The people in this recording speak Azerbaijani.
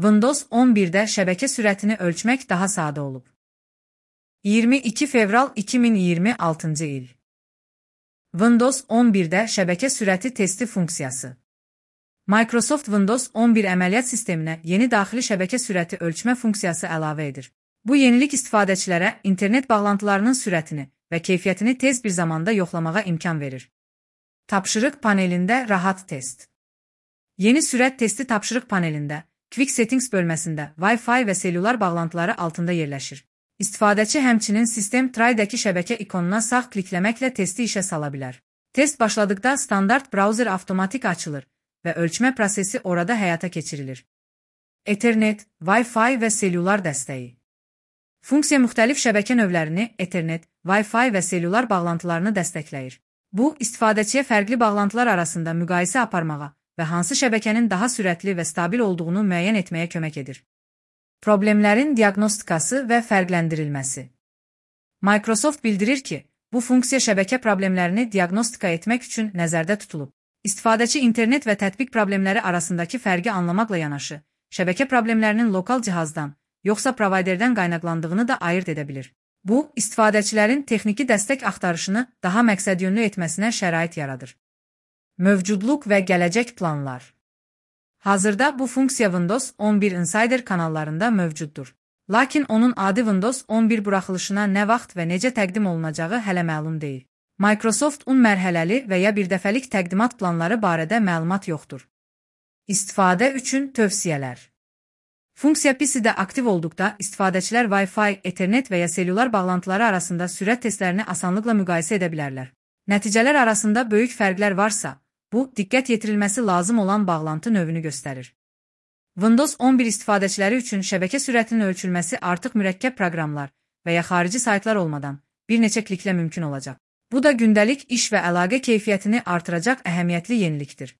Windows 11'də şəbəkə sürətini ölçmək daha sadə olub. 22 fevral 2026-cı il. Windows 11'də şəbəkə sürəti testi funksiyası. Microsoft Windows 11 əməliyyat sisteminə yeni daxili şəbəkə sürəti ölçmə funksiyası əlavə edir. Bu yenilik istifadəçilərə internet bağlantılarının sürətini və keyfiyyətini tez bir zamanda yoxlamağa imkan verir. Tapşırıq panelində rahat test. Yeni sürət testi tapşırıq panelində, Quick Settings bölməsində Wi-Fi və selülar bağlantıları altında yerləşir. İstifadəçi həmçinin System Try-dəki şəbəkə ikonuna sağ klikləməklə testi işə sala bilər. Test başladıqda standart browser avtomatik açılır və ölçmə prosesi orada həyata keçirilir. Ethernet, Wi-Fi və selülar dəstəyi. Funksiya müxtəlif şəbəkə növlərini, Ethernet, Wi-Fi və selülar bağlantılarını dəstəkləyir. Bu, istifadəçiyə fərqli bağlantılar arasında müqayisə aparmağa və hansı şəbəkənin daha sürətli və stabil olduğunu müəyyən etməyə kömək edir. Problemlərin diaqnostikası və fərqləndirilməsi. Microsoft bildirir ki, bu funksiya şəbəkə problemlərini diaqnostika etmək üçün nəzərdə tutulub. İstifadəçi internet və tətbiq problemləri arasındakı fərqi anlamaqla yanaşı, şəbəkə problemlərinin lokal cihazdan, yoxsa provayderdən qaynaqlandığını da ayırt edə bilir. Bu, istifadəçilərin texniki dəstək axtarışını daha məqsədyönlü etməsinə şərait yaradır. Mövcudluq və gələcək planlar. Hazırda bu funksiya Windows 11 Insider kanallarında mövcuddur. Lakin onun adi Windows 11 buraxılışına nə vaxt və necə təqdim olunacağı hələ məlum deyil. Microsoft mərhələli və ya birdəfəlik təqdimat planları barədə məlumat yoxdur. İstifadə üçün tövsiyələr. Funksiya PC-də aktiv olduqda istifadəçilər Wi-Fi, Ethernet və ya selülar bağlantıları arasında sürət testlərini asanlıqla müqayisə edə bilərlər. Nəticələr arasında böyük fərqlər varsa, bu, diqqət yetirilməsi lazım olan bağlantı növünü göstərir. Windows 11 istifadəçiləri üçün şəbəkə sürətinin ölçülməsi artıq mürəkkəb proqramlar və ya xarici saytlar olmadan bir neçə kliklə mümkün olacaq. Bu da gündəlik iş və əlaqə keyfiyyətini artıracaq əhəmiyyətli yenilikdir.